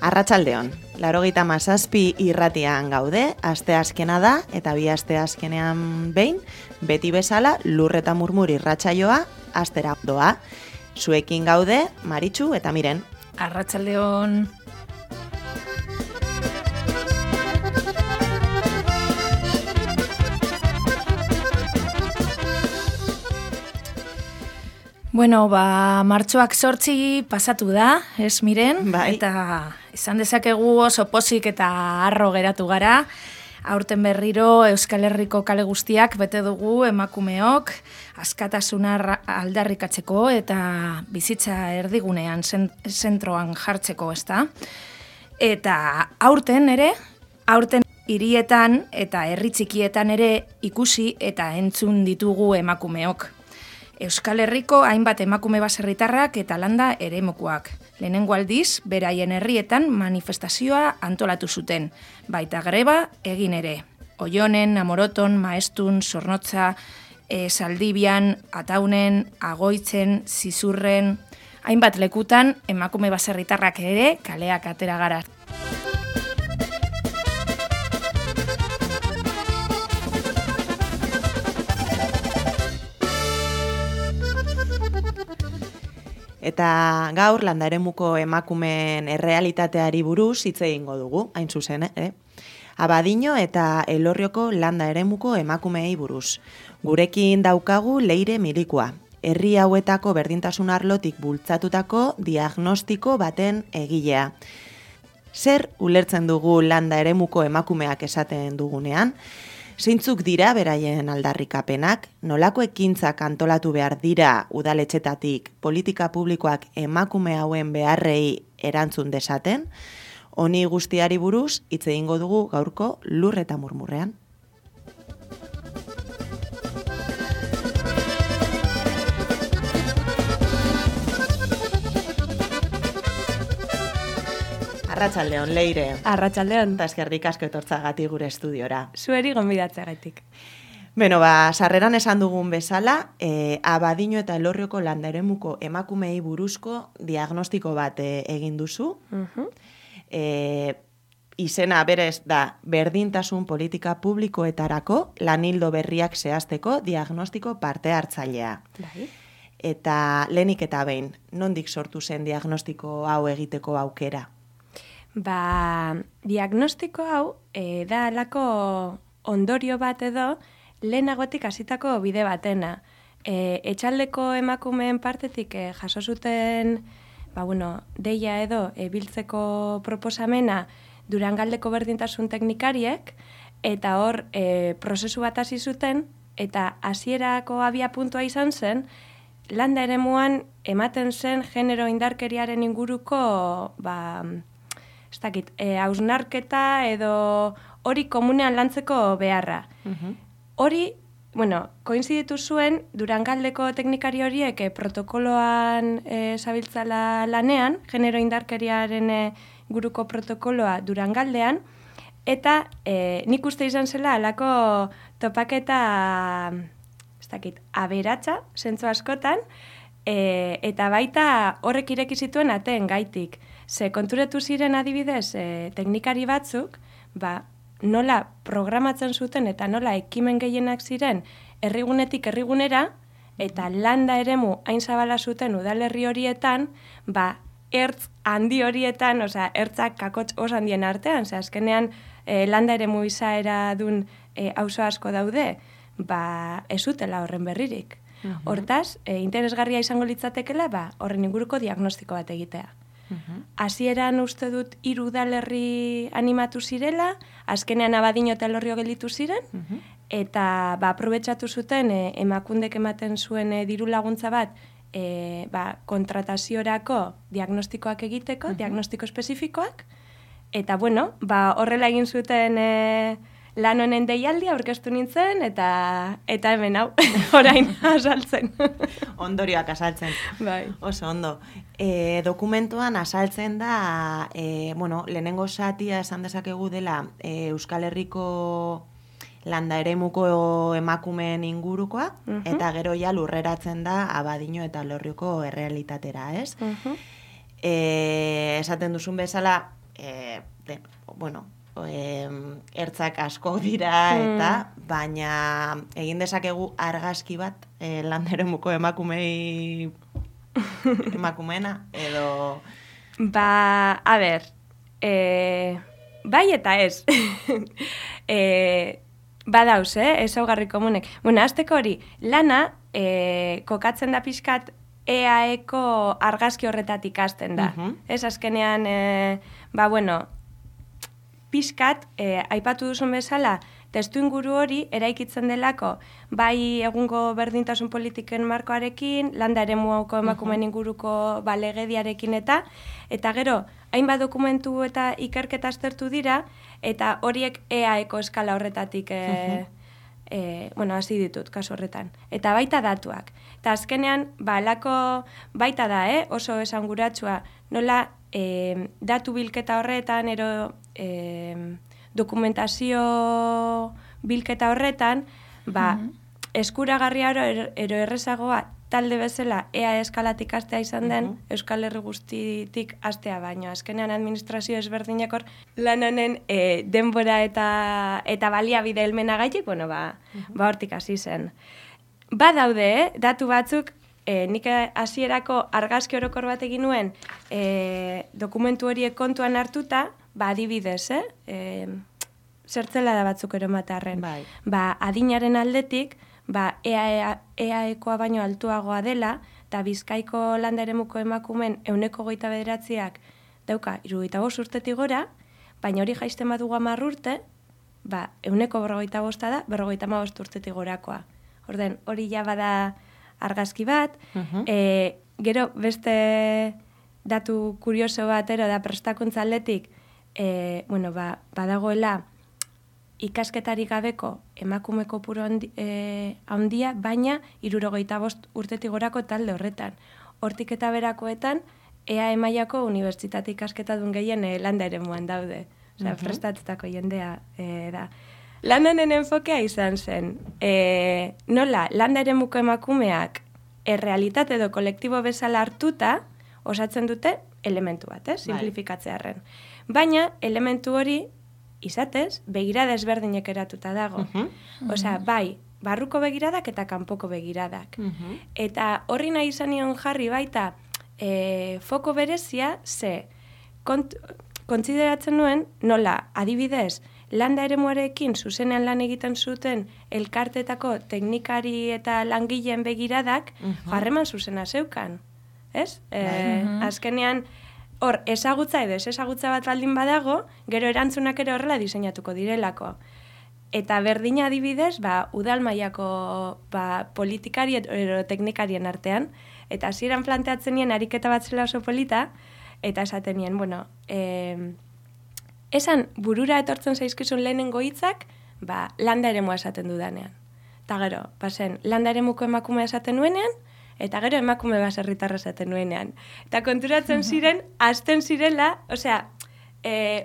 Arratsaldeon, 97 irratian gaude, asteazkena da, eta bi asteazkenean behin, beti bezala Lur eta Murmur irratsaioa astera doa. Zuekin gaude, Maritxu eta Miren. Arratsaldeon. Bueno, martxoak 8 pasatu da, ez Miren? Bai. Eta izan dezakegu oso pozik eta harro geratu gara. Aurten berriro Euskal Herriko kale guztiak bete dugu emakumeok, askatasuna aldarrikatzeko eta bizitza erdigunean zentroan jartzeko, ezta? Eta aurten hirietan eta herri txikietan ere ikusi eta entzun ditugu emakumeok. Euskal Herriko hainbat emakume baserritarrak eta landa eremukoak. Lehenengo aldiz, beraien herrietan manifestazioa antolatu zuten, baita greba egin ere. Oionen, Amoroton, Maestun, Zornotza, Saldibian, Ataunen, Agoitzen, Zizurren, hainbat lekutan emakume baserritarrak ere kaleak atera gara. Eta gaur landa eremuko emakumeen errealitateari buruz hitz egingo dugu, hain zuzen, Abadiño eta Elorrioko landa eremuko emakumeei buruz. Gurekin daukagu Leire Milikoa, herri hauetako berdintasun arlotik bultzatutako diagnostiko baten egilea. Zer ulertzen dugu landa eremuko emakumeak esaten dugunean? Zeintzuk dira beraien aldarrikapenak, nolako ekintzak antolatu behar dira udaletxetatik politika publikoak emakume hauen beharrei erantzun desaten, honi guztiari buruz hitz egingo dugu gaurko Lur eta Murmurrean. Arratsaldeon, Leire. Arratsaldeon. Eta eskerrik asko etortzagatik gure estudiora. Zueri gonbidatzeagatik. Beno, sarreran esan dugun bezala, Abadiño eta Elorrioko landa eremuko emakumeei buruzko diagnostiko bat egin duzu. Izena berez da berdintasun politika publikoetarako lanildo berriak zehazteko diagnostiko parte hartzailea. Bai. Eta lehenik eta behin, nondik sortu zen diagnostiko hau egiteko aukera? Diagnostiko hau da alako ondorio bat edo lehenagotik hasitako bide batena. Etxaldeko emakumeen partetik jaso zuten deia edo biltzeko proposamena Durangaldeko berdintasun teknikariek, eta hor prozesu bat hasi zuten, eta hasierako abiapuntua izan zen, landa eremuan ematen zen genero indarkeriaren inguruko hausnarketa edo hori komunean lantzeko beharra. Hori, koinziditu zuen Durangaldeko teknikari horiek protokoloan zabiltzala lanean, genero indarkeriaren inguruko protokoloa Durangaldean, eta nik uste izan zela alako topaketa aberatsa, zentzu askotan, eta baita horrek ireki zituen ateen gaitik. Ze konturatu ziren adibidez teknikari batzuk, nola programatzen zuten eta nola ekimen gehienak ziren herrigunetik herrigunera, eta landa eremu hain zabala zuten udalerri horietan, ertz handi horietan, ertzak kakotx oso handien artean, azkenean landa eremu izaera dun auzo asko daude, ez zutela horren berririk. Hortaz, interesgarria izango litzatekela, horren inguruko diagnostiko bat egitea. Hasieran uste dut 3 udalerri animatu zirela, azkenean Abadiño eta Elorrio gelditu ziren, eta aprobetxatu zuten emakundek ematen zuen diru laguntza bat kontrataziorako diagnostikoak egiteko, diagnostiko espezifikoak, eta horrela egin zuten lan honen deialdia aurkeztu nintzen, eta hemen hau, orain azaltzen. Ondorioak azaltzen. Bai. Oso ondo. Dokumentuan azaltzen da, lehenengo zatia esan dezakegu dela Euskal Herriko landa eremuko emakumeen ingurukoa, eta gero ja lurreratzen da Abadiño eta Elorrioko errealitatera, ez? Esaten duzun bezala, ertzak asko dira eta, baina egin dezakegu argazki bat landa eremuko emakumeena, edo... Ba, a ber, bai eta ez. Badauz, ezaugarri komunek. Bueno, azteko hori, lana kokatzen da pixkat EAeko argazki horretatik hasten da. Ez azkenean, pixkat, aipatu duzun bezala, testu inguru hori eraikitzen delako, bai egungo berdintasun politiken markoarekin, landa eremuko emakumeen inguruko legediarekin eta gero, hainbat dokumentu eta ikerketa aztertu dira, eta horiek EAeko eskala horretatik hasi ditut, kasu horretan. Eta baita datuak. Eta azkenean, alako baita da, oso esanguratsua, nola datu bilketa horretan, ero dokumentazio bilketa horretan, eskuragarria ero errezagoa talde bezala EA eskalatik hastea izan den, Euskal Herri guztitik hastea baino. Azkenean administrazio ezberdinak hor lananen denbora eta baliabide helmenagaitik, hortik hasi zen. Badaude, datu batzuk, nik hasierako argazki orokor bat egin nuen dokumentu horiek kontuan hartuta, adibidez, zertzela da batzuk eromatarren. Adinaren aldetik, EAEkoa baino altuagoa dela, eta Bizkaiko landa eremuko emakumen 29%ak dauka 75 urtetik gora, baina hori jaisten badugu 10 urte, 45% da 55 urtetik gorakoa. Orden, hori ja bada argazki bat, gero beste datu kurioso batero da prestakuntza aldetik, badagoela ikasketarik gabeko emakume kopuru handia, baina 75 urtetik gorako talde horretan. Hortik eta berakoetan, EAE mailako unibertsitate ikasketadun gehien landa eremuan daude. Osea, prestatutako jendea da. Landanen enfokea izan zen, nola, landa eremuko emakumeak errealitate edo kolektibo bezala hartuta osatzen dute elementu bat, simplifikatzearren. Baina, elementu hori, izatez, begirada ezberdinek eratuta dago. Osea, bai, barruko begiradak eta kanpoko begiradak. Eta horri nahi izan nion jarri baita foko berezia, kontsideratzen nuen, nola, adibidez, landa eremuarekin zuzenean lan egiten zuten elkartetako teknikari eta langileen begiradak harreman zuzena zeukan. Ez? Azkenean, hor, ezagutza edo ezagutza bat baldin badago, gero erantzunak ere horrela diseinatuko direlako. Eta berdina adibidez, udal mailako politikari edo teknikarien artean, eta hasieran planteatzen nien ariketa bat zela oso polita, eta esaten nien, esan burura etortzen zaizkizun lehenengo hitzak, landa eremua esaten dudanean. Eta gero, landa eremuko emakumea esaten nuenean, eta gero emakume baserritarra esaten nuenean. Eta konturatzen ziren, hasten zirela, osea,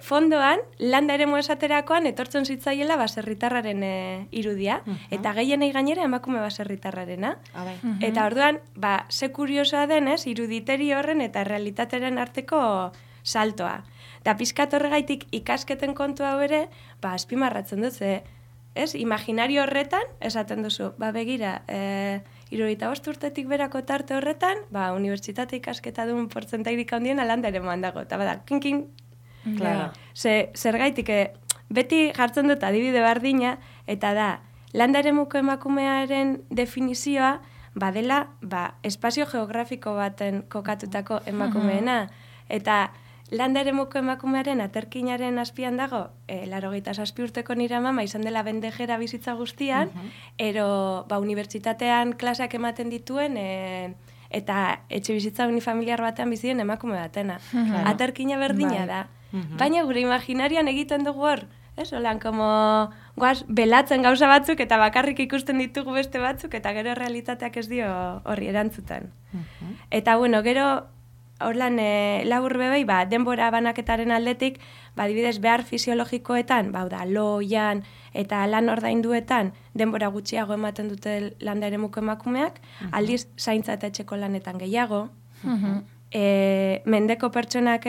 fondoan, landa eremu esaterakoan etortzen zitzaiela baserritarraren irudia, eta gehienei gainera emakume baserritarrarena. Eta orduan, ze kuriosoa denez, iruditeri horren eta realitateren arteko saltoa. Eta pizkat horregaitik ikasketen kontu hau ere, azpimarratzen dut, imaginario horretan, esaten duzu, begira, 75 urtetik berako tarte horretan, unibertsitate ikasketa duen portzentairik handien landa eremuan dago. Eta kinkin, zergaitik, beti jartzen dut adibide bardina, eta da, landa eremuko emakumearen definizioa, badela, espazio geografiko baten kokatutako emakumeena. Eta landa eremuko emakumearen aterkinaren azpian dago, 87 urteko nire mama izan dela bendejera bizitza guztian, ero unibertsitatean klaseak ematen dituen, eta etxe bizitza unifamiliar batean bizien emakume batena. Aterkina berdina da. Baina gure imaginarian egiten dugu hor, holan, belatzen gauza batzuk eta bakarrik ikusten ditugu beste batzuk, eta gero realitateak ez dio horri erantzuten. Eta gero, horlan labur bebei, denbora banaketaren aldetik, adibidez behar fisiologikoetan, loian eta lan ordainduetan denbora gutxiago ematen dute landa eremuko emakumeak, aldiz zaintza eta etxeko lanetan gehiago. mendeko pertsonak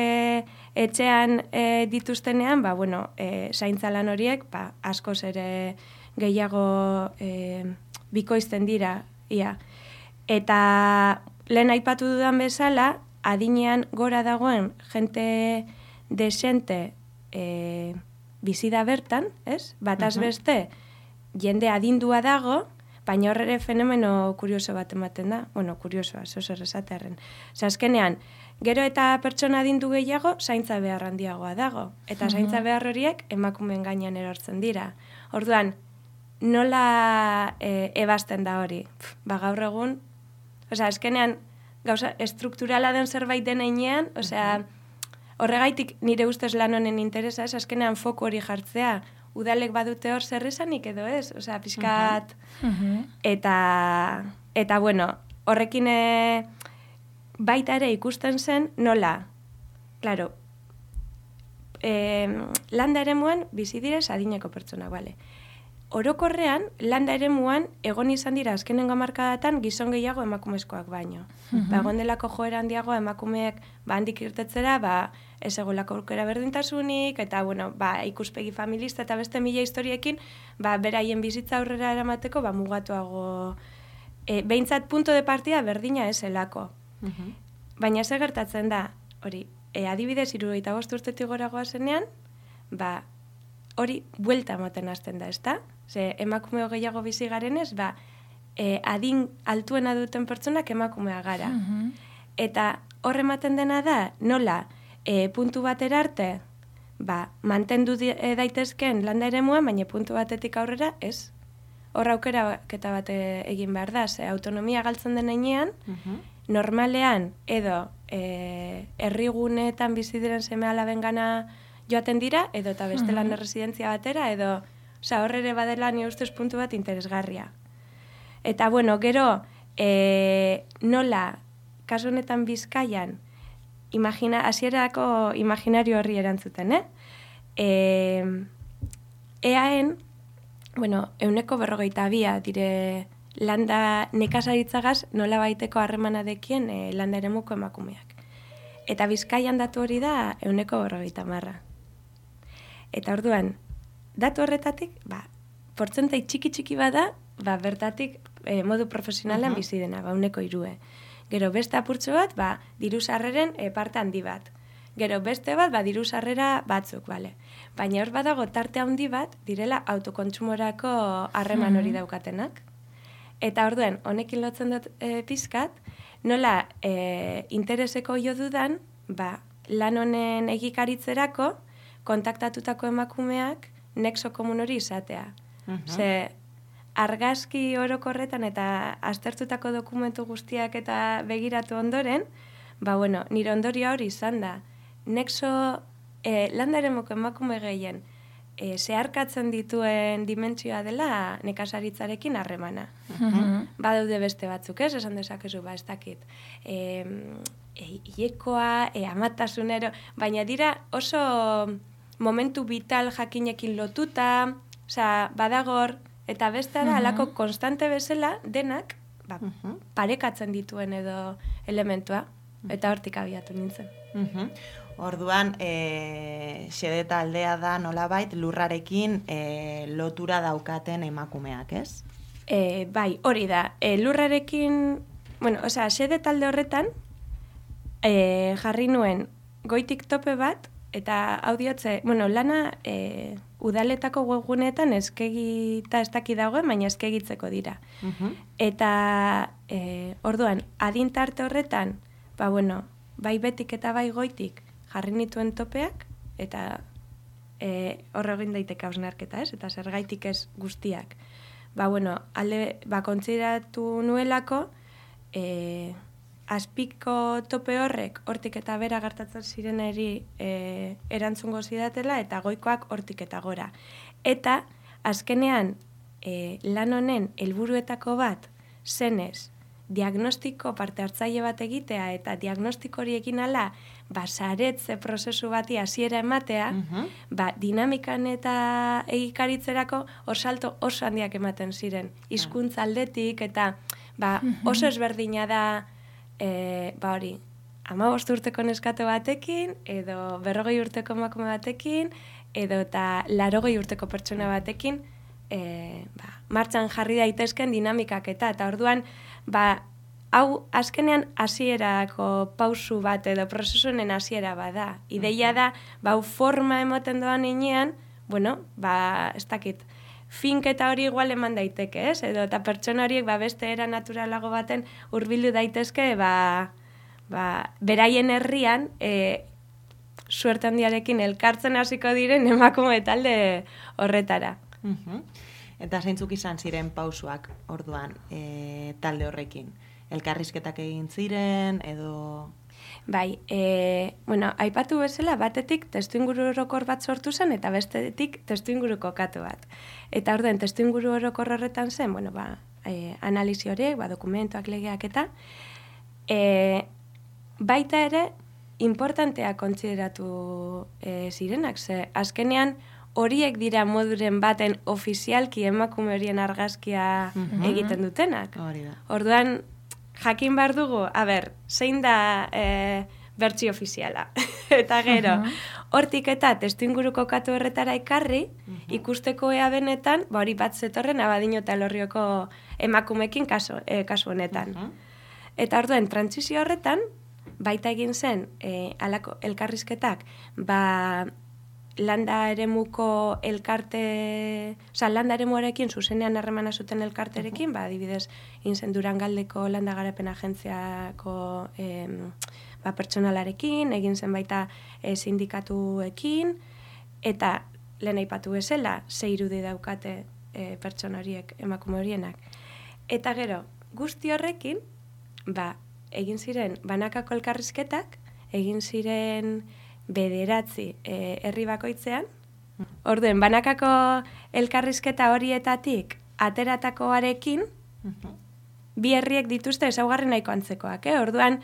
etxean dituztenean, zaintza lan horiek askoz ere gehiago bikoizten dira, ia. Eta lehen aipatu dudan bezala, adinean gora dagoen jente desente bizi da bertan, ez? Bataz beste, jende adindua dago, baina horre fenomeno kurioso bat ematen da. Kuriosoa, zer esatearren. Azkenean, gero eta pertsona adindu gehiago, zaintza behar handiagoa dago. Eta zaintza behar horiek emakumeen gainean erortzen dira. Orduan, nola ebazten da hori? Gaur egun, azkenean, gauza estrukturala den zerbait den heinean, horregaitik nire ustez lan honen interesa, azkenean foku hori jartzea, udalek badute hor zer esanik edo ez, pixkat, eta horrekin baita ere ikusten zen nola, klaro, landa eremuan bizi direz adineko pertsona, bale. Orokorrean, landa eremuan egon izan dira azkenengo hamarkadatan gizon gehiago emakumezkoak baino. Egon delako joera handiagoa emakumeek handik irtetzera, ez egolako aukera berdintasunik, eta ikuspegi familista eta beste mila historiekin, beraien bizitza aurrera eramateko mugatuago. Behintzat punto de partida berdina eselako. Baina ze gertatzen da, hori, adibidez 75 urtetik goragoa zenean, hori buelta ematen hasten da, ezta? Ze emakume gehiago bizi garenez, adin altuena duten pertsonak emakumea gara. Eta horre ematen dena da, nola, puntu batera arte, mantendu daitezken landa eremuan, baina puntu batetik aurrera, ez? Hor aukeraketa bat egin behar da, ze autonomia galtzen den heinean, normalean edo herriguneetan bizi diren seme alaben gana joaten dira, edo eta beste lan residentzia batera, edo horre ere badela ni ustez puntu bat interesgarria. Eta gero, nola, kasu honetan Bizkaian, hasierako imaginario horri erantzuten, eaen, 142 dire landa nekazaritzagaz nola baiteko harremana dekien landa eremuko emakumeak. Eta Bizkaian datu hori da 150. Eta orduan, datu horretatik, portzentai txiki bada, bertatik modu profesionalan bizi dena, 103. Gero beste apurtxo bat, diru sarreren parte handi bat. Gero beste bat, diru sarrera batzuk, bale. Baina hor badago tarte handi bat, direla autokontsumorako harreman hori daukatenak. Eta orduan, honekin lotzen dut pizkat, nola intereseko jo dudan, lan honen egikaritzerako, kontaktatutako emakumeak nexo komun hori izatea. Ze, argazki orokorretan eta aztertutako dokumentu guztiak eta begiratu ondoren, nire ondoria hori izan da. Nexo, landa eremoko emakume gehien, zeharkatzen dituen dimentsioa dela nekazaritzarekin harremana. Badaude beste batzuk, ez? Esan dezakezu, ez dakit. Iekoa, amatasunero, baina dira oso momentu vital jakinekin lotuta, badagor, eta beste da, alako konstante bezala, denak, parekatzen dituen edo elementua, eta hortik abiatu nintzen. Orduan, xede taldea da nolabait lurrarekin lotura daukaten emakumeak, ez? Bai, hori da. Lurrarekin, xede talde horretan, jarri nuen goitik tope bat, eta audiotze, lana udaletako webguneetan eskegita ez daki dagoen, baina eskegitzeko dira. Eta orduan, adintarte horretan, bai betik eta bai goitik jarri nituen topeak, eta horre egin daiteke hausnarketa, ez? Eta zergaitik ez guztiak. Kontsideratu nuelako, azpiko tope hortik eta bera gertatzen zireneri erantzungo zidatela, eta goikoak hortik eta gora. Eta, azkenean, lan honen helburuetako bat, zenez, diagnostiko parte hartzaile bat egitea, eta diagnostiko hori egin ala, saretze prozesu bati hasiera ematea, dinamikan eta egikaritzerako salto oso handiak ematen ziren. Hizkuntza aldetik, eta oso ezberdina da, hori, 15 urteko neskato batekin, edo 40 urteko emakume batekin, edo eta 80 urteko pertsona batekin, martxan jarri daitezken dinamikak eta orduan, hau azkenean hasierako pausu bat edo prozesunen hasiera bada. Ideia da, hau forma emoten doan inean, bueno, ez dakit, finketa hori igual eman daiteke, ez? Edo eta pertsona horiek beste era naturalago baten hurbildu daitezke, beraien herrian, suerte handiarekin elkartzen hasiko diren emakume talde horretara. Eta zeintzuk izan ziren pausuak orduan talde horrekin? Elkarrizketak egin ziren, edo... Bai, aipatu bezala batetik testuinguru orokor bat sortu zen eta bestetik testuinguru kokatu bat. Eta orduan testuinguru orokor horretan zen, analizi horiek, dokumentuak, legeak eta baita ere importantea kontsideratu zirenak, ze azkenean horiek dira moduren baten ofizialki emakume horien argazkia egiten dutenak. Orduan, jakin behar dugu, zein da bertsio ofiziala. Eta gero, hortik eta testuinguru kokatu horretara ekarri, ikusteko ea benetan, hori bat zetorren Abadiño eta Elorrioko emakumekin kasu honetan. Eta orduan, trantsizio horretan, baita egin zen, alako elkarrizketak, landa eremuko elkarte, landa eremuarekin zuzenean harremana zuten elkarterekin, adibidez, inzen Durangaldeko landa garapen agentziako pertsonalarekin, egin zen baita sindikatuekin, eta lehen aipatu bezala, 6 irudi daukate pertsona horiek, emakume horienak. Eta gero, guzti horrekin, egin ziren banakako elkarrizketak, egin ziren 9 herri bakoitzean. Orduen, banakako elkarrizketa horietatik ateratakoarekin, 2 herriek dituzte ezaugarri nahiko antzekoak. Orduan,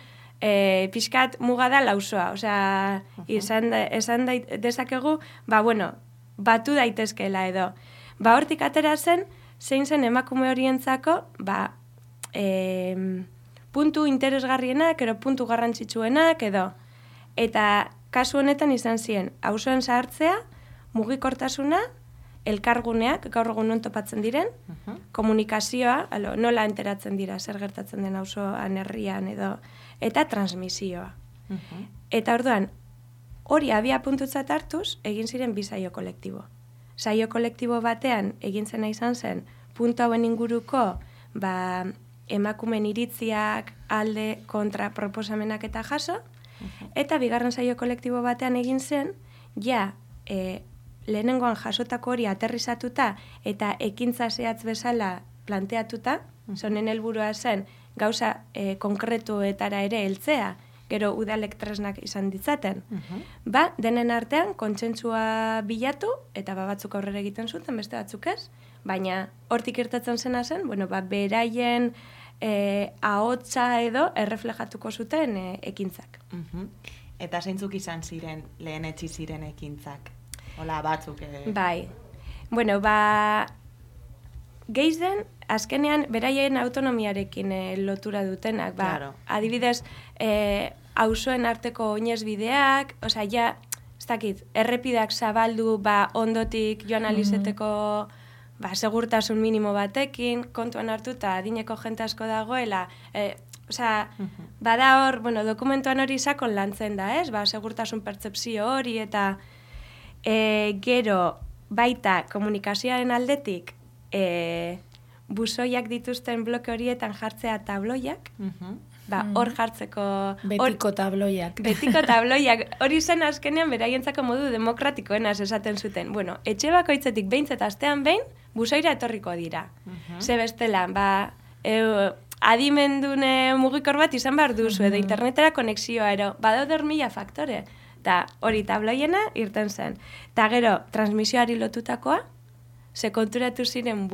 pixkat muga da lausoa. Osea, esan dezakegu, batu daitezkeela edo. Hortik atera zen, zein zen emakume horientzako, puntu interesgarrienak, edo puntu garrantzitsuenak, edo. Eta kasu honetan izan ziren, auzoen zahartzea, mugikortasuna, elkarguneak, gaur egun non topatzen diren, komunikazioa, nola enteratzen dira, zer gertatzen den auzoan herrian edo, eta transmisioa. Eta orduan, hori abia puntutzat hartuz, egin ziren 2 saio kolektibo. Saio kolektibo batean, egin zena izan zen, puntu hauen inguruko, emakumen iritziak, alde, kontra, proposamenak eta jaso, eta bigarren saio kolektibo batean egin zen, lehenengoan jasotako hori aterrizatuta eta ekintza zehatz bezala planteatuta, zonen helburua zen gauza konkretuetara ere heltzea, gero udalek tresnak izan ditzaten. Denen artean kontsentsua bilatu, eta batzuk aurrera egiten zuten, beste batzuk ez, baina hortik irtetzen zena zen, beraien ahotsa edo erreflejatuko zuten ekintzak. Eta zeintzuk izan ziren lehen etzi ziren ekintzak? Hola, batzuk. Bai. Gehien, azkenean, beraien autonomiarekin lotura dutenak. Adibidez, auzoen arteko oinezbideak, ez dakit, errepideak zabaldu, ondotik joan alizeteko segurtasun minimo batekin, kontuan hartuta adineko jente asko dagoela, bada hor, dokumentuan hori sakon lantzen da, ez? Segurtasun pertzepzio hori eta gero baita komunikazioaren aldetik buzoiak dituzten bloke horietan jartzea tabloiak, hor jartzeko... Betiko tabloiak. Betiko tabloiak. Hori zen azkenean beraientzako modu demokratikoenaz esaten zuten. Etxe bakoitzetik behintzat astean behin, buzoira etorriko dira. Ze bestela, adimendune mugikor bat izan behar duzu, edo internetera konexioa, badaude 1000 faktore. Eta hori tabloiena irten zen. Eta gero, transmisioari lotutakoa, ze konturatu ziren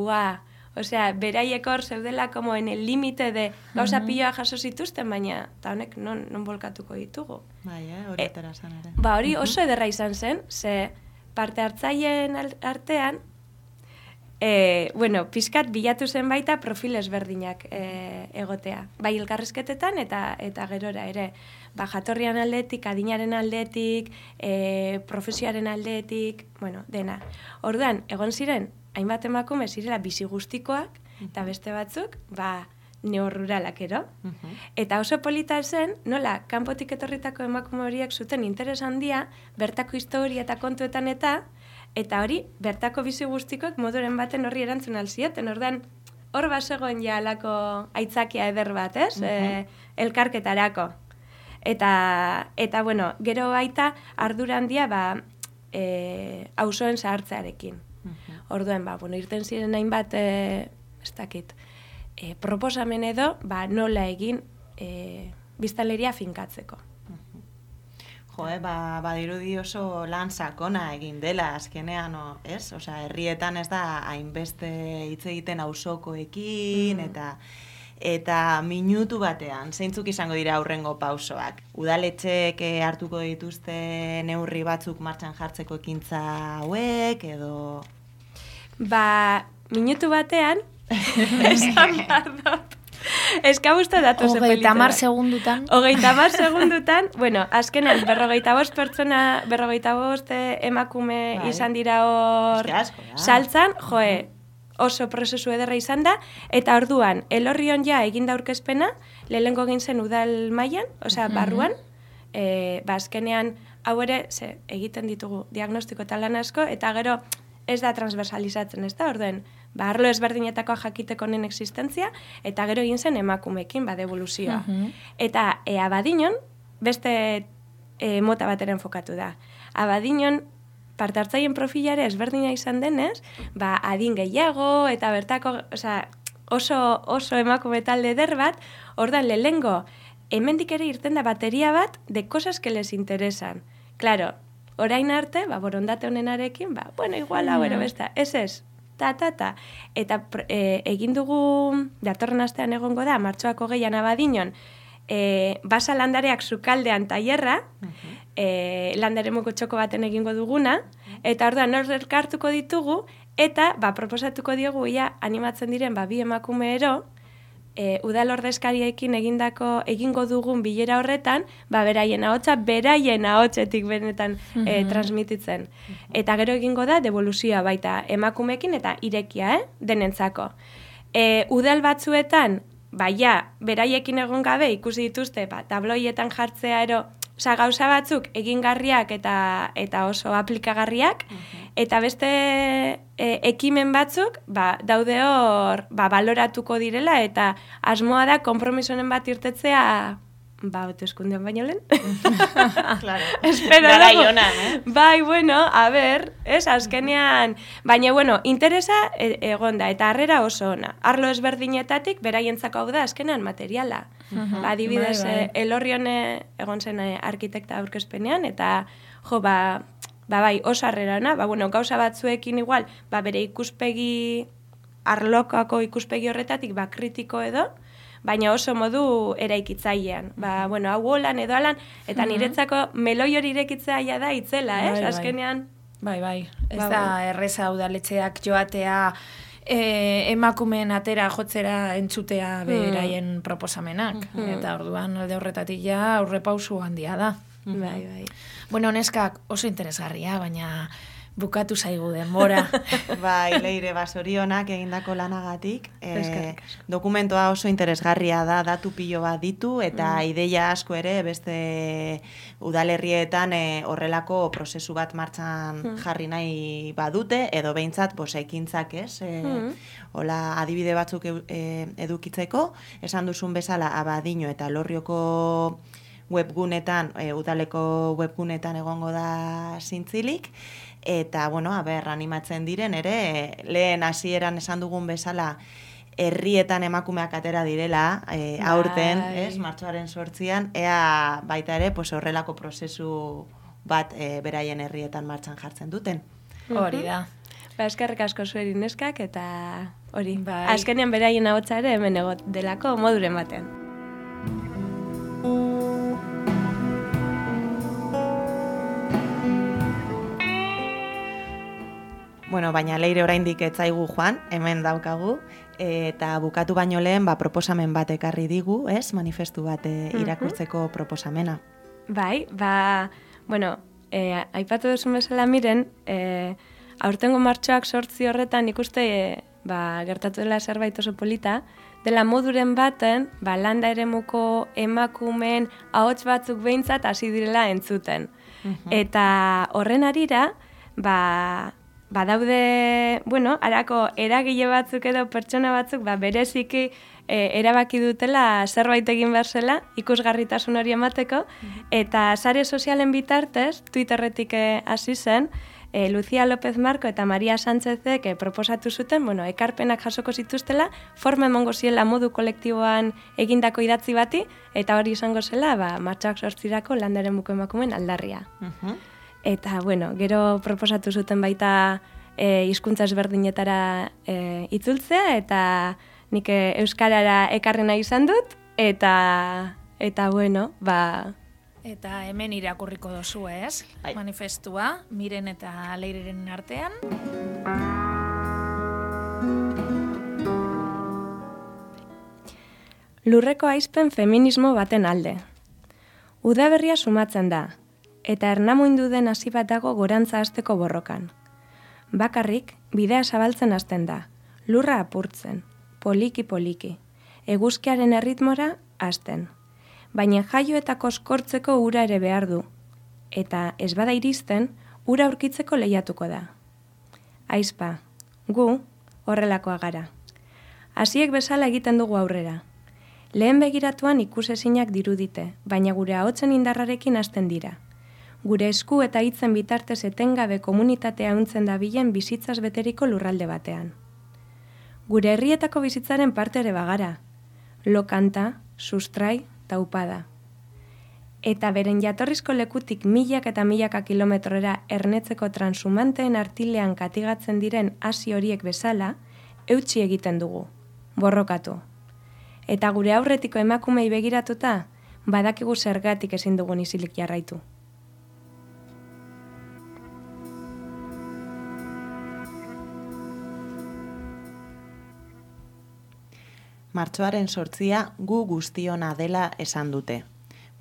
beraiek hor zeudela como en el límite de gauza piloa jaso zituzten, baina eta honek non bolkatuko ditugu. Hori atera zen ere. Hori oso ederra izan zen, ze parte hartzaileen artean pixkat bilatu zen baita profil ezberdinak egotea. Bai elkarrizketetan eta gerora ere. Jatorrian aldetik, adinaren aldetik, profesioaren aldetik, dena. Orduan, egon ziren, hainbat emakume zirela bizi guztikoak, eta beste batzuk, neorruralak ero. Eta oso polita zen, nola, kanpotik etorritako emakume horiek zuten interes handia, bertako historia eta kontuetan eta hori, bertako bizi guztikoak moduren baten horri erantzun alzioten. Orduan, hor bazegoen ja alako aitzakia eder bat, ez? Elkarketarako. Eta gero baita ardura handia auzoen zahartzearekin. Orduan, irten ziren hainbat, ez dakit, proposamen edo, nola egin biztanleria finkatzeko. Badirudi oso lan sakona egin dela azkenean, ez? Osea, herrietan ez da hainbeste hitz egiten auzokoekin eta minutu batean, zeintzuk izango dira aurrengo pausoak? Udaletxeek hartuko dituzte neurri batzuk martxan jartzeko ekintza hauek, edo... Minutu batean, esan behar dut. Ez que gusta datu ze polita. 30 segundutan. 30 segundutan, azkenan 45 pertsona, 45 emakume izan dira hor saltzan, oso prozesu ederra izan da, eta orduan, Elorrion ja eginda aurkezpena, lehengo egin zen udal mailan, osea, barruan, azkenean, hau ere, egiten ditugu diagnostiko eta lan asko, eta gero ez da transversalizatzen, ez da, orduen, arlo ezberdinetako jakiteko honen existentzia, eta gero egin zen emakumekin, devoluzioa. Eta Abadiñon, beste mota bateren fokatu da. Abadiñon, partartzaien profilare ezberdina izan denez, adin gehiago, eta bertako, oso emakume talde eder bat, ordan lehengo, hemendik ere irten da bateria bat de cosas que les interesan. Claro, orain arte, borondate honenarekin, igual hau ero besta, ez, ta. Eta egin dugu, datorren astean egongo da, martxoako 6 Abadiñon, basa landareak sukaldean tailerra, landaremuko txoko baten egingo duguna, eta orduan hor elkartuko ditugu, eta proposatuko diogu ia animatzen diren bi emakume ero, udal ordezkariekin egingo dugun bilera horretan, beraien ahotsetik benetan transmititzen. Eta gero egingo da devoluzioa baita emakumeekin eta irekia, denentzako. Udal batzuetan, beraiekin egon gabe ikusi dituzte, tabloietan jartzea ero, gauza batzuk egingarriak eta oso aplikagarriak, eta beste ekimen batzuk daude hor baloratuko direla, eta asmoa da konpromisonen bat irtetzea hauteskundean baino lehen. Claro. Espero Garai dago. honan, a ber, azkenean, baina, interesa egonda, eta harrera oso ona. Arlo ezberdinetatik, beraientzako hau da, azkenean materiala. Adibidez, Elorrion egon zen arkitekta aurkezpenean, eta, oso harrera ona, gauza batzuekin igual, bere ikuspegi, arlokako ikuspegi horretatik, kritiko edo, baina oso modu eraikitzailean. Hau holan edo alan, eta niretzako meloi hori irekitzea da itzela, ez? Azkenean... Ez da erreza udaletxeak joatea emakumeen atera jotzera entzutea beraien proposamenak. Eta orduan alde horretatik ja aurrepausu handia da. Neskak oso interesgarria, baina bukatu zaigu denbora. Leire, zorionak egindako lanagatik. Dokumentoa oso interesgarria da, datu pilo bat ditu, eta ideia asko ere beste udalerrietan horrelako prozesu bat martxan jarri nahi badute, edo behintzat ekintzak ez, hola adibide batzuk edukitzeko, esan duzun bezala Abadiño eta Elorrioko webgunetan, udaleko webgunetan egongo da zintzilik, eta, animatzen diren ere, lehen hasieran esan dugun bezala, herrietan emakumeak atera direla, aurten, martxoaren 8an, ea baita ere, horrelako prozesu bat beraien herrietan martxan jartzen duten. Hori da. Eskerrik asko zueri neskak, eta hori, azkenean beraien ahotsa ere hemen egot delako moduren batean. Bueno, baina Leire oraindik ez zaigu joan, hemen daukagu, eta bukatu baino lehen proposamen bat ekarri digu, ez? Manifestu bat irakurtzeko proposamena. Bai, bueno, aipatu duzun bezala Miren, aurtengo martxoak 8 horretan ikuste gertatu dela zerbait oso polita, dela moduren baten, landa eremuko emakumeen ahots batzuk behintzat hasi direla entzuten. Eta horren arira, badaude, harako eragile batzuk edo pertsona batzuk, bereziki erabaki dutela zerbait egin behar zela, ikusgarritasun hori emateko, eta sare sozialen bitartez, Twitterretik hasi zen, Lucia López Marco eta Maria Sánchezek proposatu zuten, ekarpenak jasoko zituztela, forma emongo ziela modu kolektiboan egindako idatzi bati, eta hori izango zela, martxoak 8 landa eremuko emakumeen aldarria. Eta, gero proposatu zuten baita hizkuntza ezberdinetara itzultzea, eta nik euskarara ekarri nahi izan dut, eta Eta hemen irakurriko dozu, ez? Manifestua, Miren eta Leireren artean. Lurreko aizpen feminismo baten alde. Udaberria sumatzen da, eta ernamuindu den hasi bat dago gorantza hasteko borrokan. Bakarrik, bidea zabaltzen hasten da, lurra apurtzen, poliki-poliki, eguzkiaren erritmora hasten. Baina jaio eta koskortzeko ura ere behar du, eta ez bada iristen, ura aurkitzeko lehiatuko da. Aizpa, gu horrelakoa gara. Hasiek bezala egiten dugu aurrera. Lehen begiratuan ikusezinak dirudite, baina gure ahotsen indarrarekin hasten dira. Gure esku eta hitzen bitartez etengabe komunitatea untzen dabilen bizitzaz beteriko lurralde batean. Gure herrietako bizitzaren parte ere bagara. Lokanta, sustrai, taupada. Eta beren jatorrizko lekutik milak eta milaka kilometrora ernetzeko transumanteen artilean katigatzen diren hasi horiek bezala, eutsi egiten dugu, borrokatu. Eta gure aurretiko emakumei begiratuta, badakigu zergatik ezin dugun isilik jarraitu. Martxoaren 8 gu guztiona dela esan dute,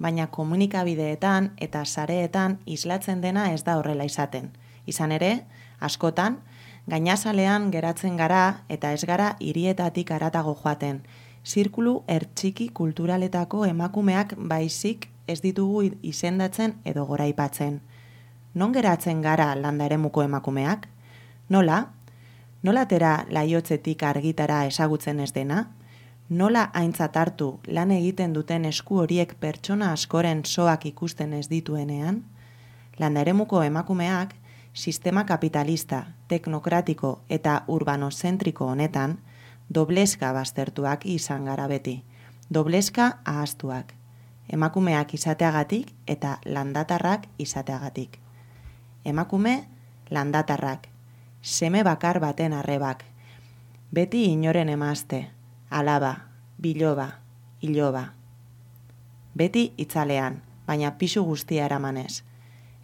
baina komunikabideetan eta sareetan islatzen dena ez da horrela izaten. Izan ere, askotan, gainazalean geratzen gara eta ez gara hirietatik haratago joaten, zirkulu ertxiki kulturaletako emakumeak baizik ez ditugu izendatzen edo goraipatzen. Non geratzen gara landa eremuko emakumeak? Nola? Nola atera laiotzetik argitara ezagutzen ez dena? Nola aintzat hartu lan egiten duten esku horiek pertsona askoren soak ikusten ez dituenean? Landa eremuko emakumeak sistema kapitalista, teknokratiko eta urbanozentriko honetan dobleska baztertuak izan gara beti, dobleska ahaztuak, emakumeak izateagatik eta landatarrak izateagatik. Emakume, landatarrak, seme bakar baten arrebak, beti inoren emazte, alaba, biloba, iloba. Beti itzalean, baina pisu guztia eramanez.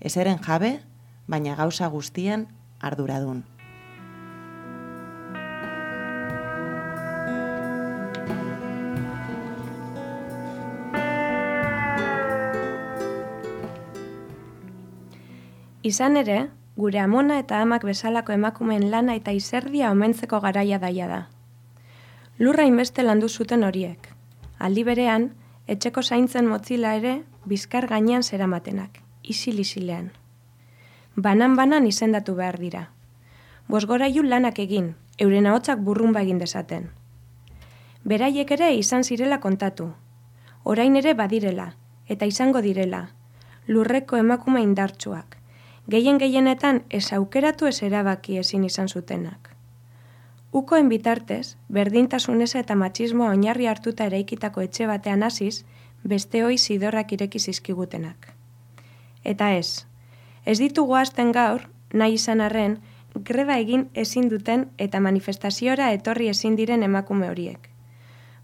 Ezeren jabe, baina gauza guztien arduradun. Izan ere, gure amona eta amak bezalako emakumeen lana eta izerdia omentzeko garaia daia da. Lurra inbeste landu zuten horiek. Aldi berean, etxeko zaintzen motzila ere bizkar gainean zeramatenak, isil-isilean. Banan-banan izendatu behar dira. Bosgorailu lanak egin, euren ahotsak burrunba egin dezaten. Beraiek ere izan zirela kontatu. Orain ere badirela, eta izango direla. Lurreko emakume indartsuak. Gehienetan ez aukeratu ez erabaki ezin izan zutenak. Ukoen bitartez, berdintasuneza eta matxismoa oinarri hartuta eraikitako etxe batean hasiz, beste hoi zidorrak ireki zizkigutenak. Eta ez ditugu hasten gaur, nahi izan arren, greba egin ezin duten eta manifestaziora etorri ezin diren emakume horiek.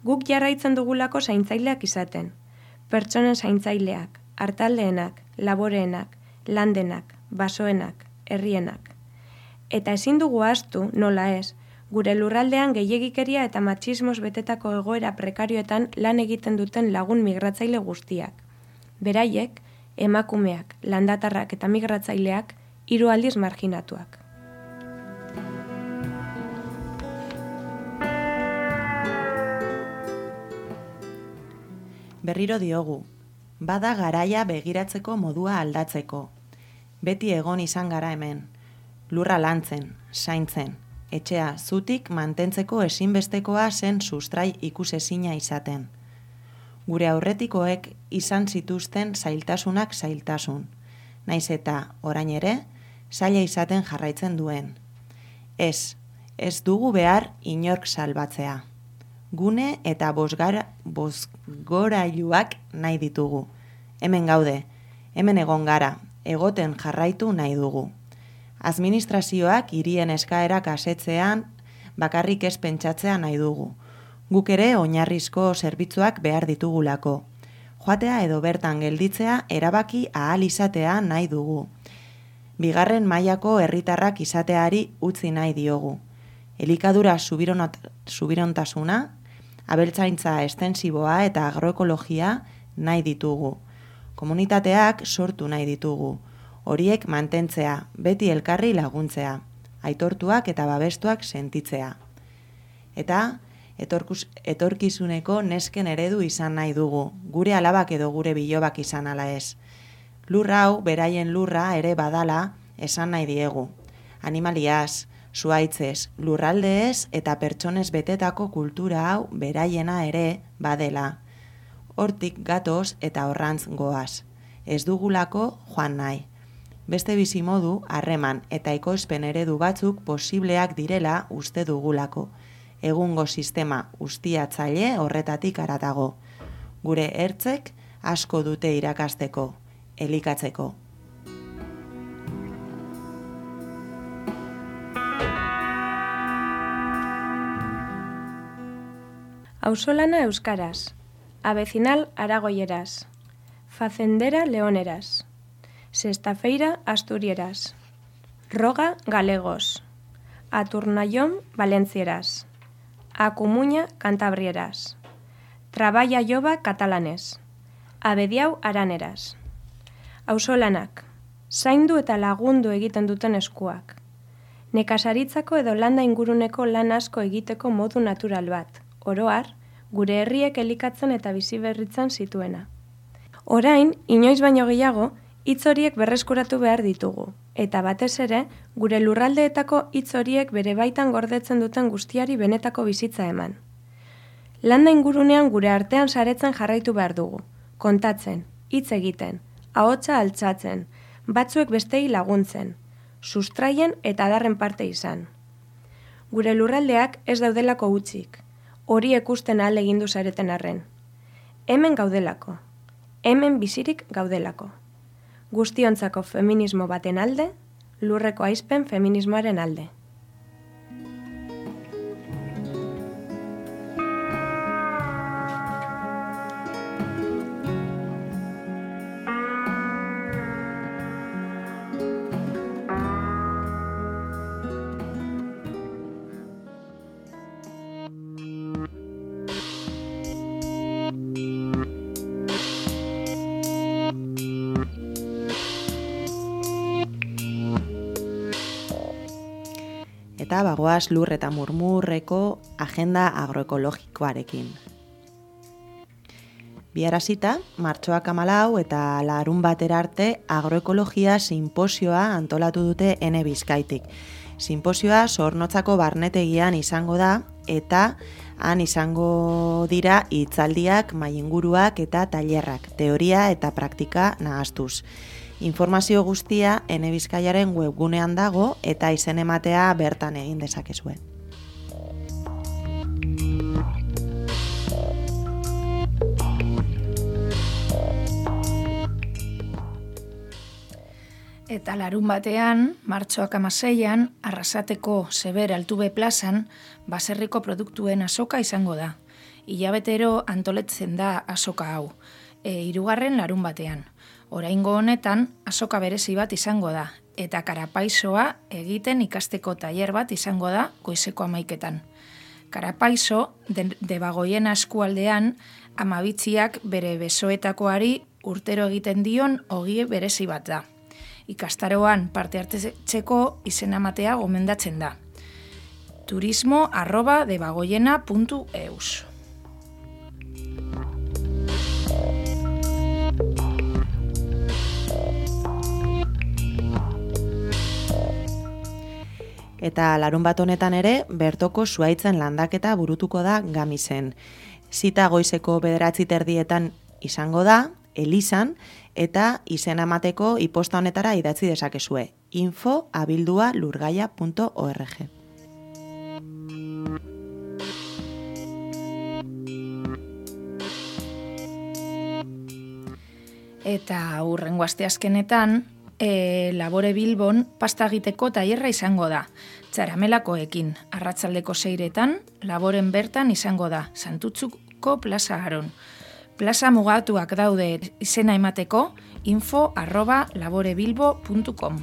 Guk jarraitzen dugulako zaintzaileak izaten, pertsonen zaintzaileak, hartaldeenak, laboreenak, landenak, basoenak, herrienak. Eta ezin dugu ahaztu, nola ez, gure lurraldean gehiegikeria eta matxismoz betetako egoera prekarioetan lan egiten duten lagun migratzaile guztiak. Beraiek, emakumeak, landatarrak eta migratzaileak 3 aldiz marginatuak. Berriro diogu, bada garaia begiratzeko modua aldatzeko. Beti egon izan gara hemen, lurra lantzen, zaintzen, etxea zutik mantentzeko ezinbestekoa zen sustrai ikusezina izaten. Gure aurretikoek izan zituzten zailtasunak zailtasun, naiz eta orain ere, zaila izaten jarraitzen duen. Ez dugu behar inork salbatzea. Gune eta bozgorailuak nahi ditugu. Hemen gaude, hemen egon gara, egoten jarraitu nahi dugu. Administrazioak hirien eskaerak asetzean bakarrik ez pentsatzea nahi dugu. Guk ere oinarrizko zerbitzuak behar ditugulako. Joatea edo bertan gelditzea erabaki ahal izatea nahi dugu. Bigarren mailako herritarrak izateari utzi nahi diogu. Elikadura subirontasuna, abeltzaintza estensiboa eta agroekologia nahi ditugu. Komunitateak sortu nahi ditugu. Horiek mantentzea, beti elkarri laguntzea, aitortuak eta babestuak sentitzea. Eta etorkizuneko nesken eredu izan nahi dugu, gure alabak edo gure bilobak izan ala ez. Lurra hau, beraien lurra ere badala esan nahi diegu. Animaliaz, zuhaitzez, lurraldeez eta pertsonez betetako kultura hau beraiena ere badela. Hortik gatoz eta horrantz goaz. Ez dugulako joan nahi. Beste bizimodu, harreman eta ekoizpen eredu batzuk posibleak direla uste dugulako. Egungo sistema ustiatzaile horretatik haratago. Gure ertzek asko dute irakasteko, elikatzeko. Auzolana euskaraz, avecinal aragoieraz, facendera leoneraz, sextafeira asturieraz, roga galegos, aturnallón valencieraz, acumuña cantabrieraz, traballa joba katalanez, abediau araneraz. Auzolanak, zaindu eta lagundu egiten duten eskuak. Nekazaritzako edo landa inguruneko lan asko egiteko modu natural bat, oroar, gure herriek elikatzen eta biziberritzen zituena. Orain, inoiz baino gehiago, hitz horiek berreskuratu behar ditugu, eta batez ere, gure lurraldeetako hitz horiek bere baitan gordetzen duten guztiari benetako bizitza eman. Landa ingurunean gure artean saretzen jarraitu behar dugu, kontatzen, hitz egiten, ahotsa altxatzen, batzuek bestei laguntzen, sustraien eta adarren parte izan. Gure lurraldeak ez daudelako hutsik, hori ikusten ahal egindu zareten arren. Hemen gaudelako, hemen bizirik gaudelako. Guztiontzako feminismo baten alde, lurreko aizpen feminismoaren alde. Eta bagoaz lur eta murmurreko agenda agroekologikoarekin. Biharazita, martxoak 14 eta larun batera arte agroekologia sinposioa antolatu dute Ene Bizkaitik. Sinposioa Zornotzako barnetegian izango da eta han izango dira hitzaldiak, mahai-inguruak eta tailerrak, teoria eta praktika nahastuz. Informazio guztia Ene Bizkaiaren webgunean dago eta izen ematea bertan egin dezakezue. Eta larun batean, martxoak 16an, Arrasateko Seber Altube plazan, baserriko produktuen azoka izango da. Hilabetero antoletzen da azoka hau, 3. larun batean. Oraingo honetan, azoka berezi bat izango da, eta karapaisoa egiten ikasteko tailer bat izango da goizeko 11etan. Karapaiso, Debagoiena eskualdean, Amabitziak bere besoetakoari urtero egiten dion ogie berezi bat da. Ikastaroan parte hartzeko izena ematea gomendatzen da. turismo@debagoiena.eus. Eta larun bat honetan ere, bertoko zuhaitzen landaketa burutuko da Gamisen. Zita goizeko 9:30 izango da, elizan, eta izena emateko iposta honetara idatzi dezakezue. info@lurgaia.org. Eta hurrengo asteazkenetan, Labore Bilbon pasta egiteko tailerra izango da. Txaramelakoekin, arratsaldeko 6etan, Laboren bertan izango da, Santutzuko plaza Aron. Plaza mugatuak daude izena emateko, info@laborebilbo.com.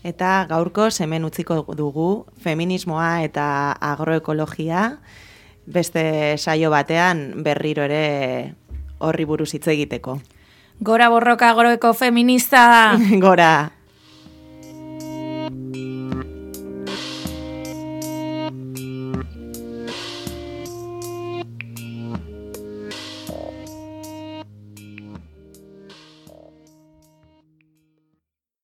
Eta gaurko hemen utziko dugu feminismoa eta agroekologia beste saio batean berriro ere horri buruz hitz egiteko. Gora borroka agroeko feminista! Gora!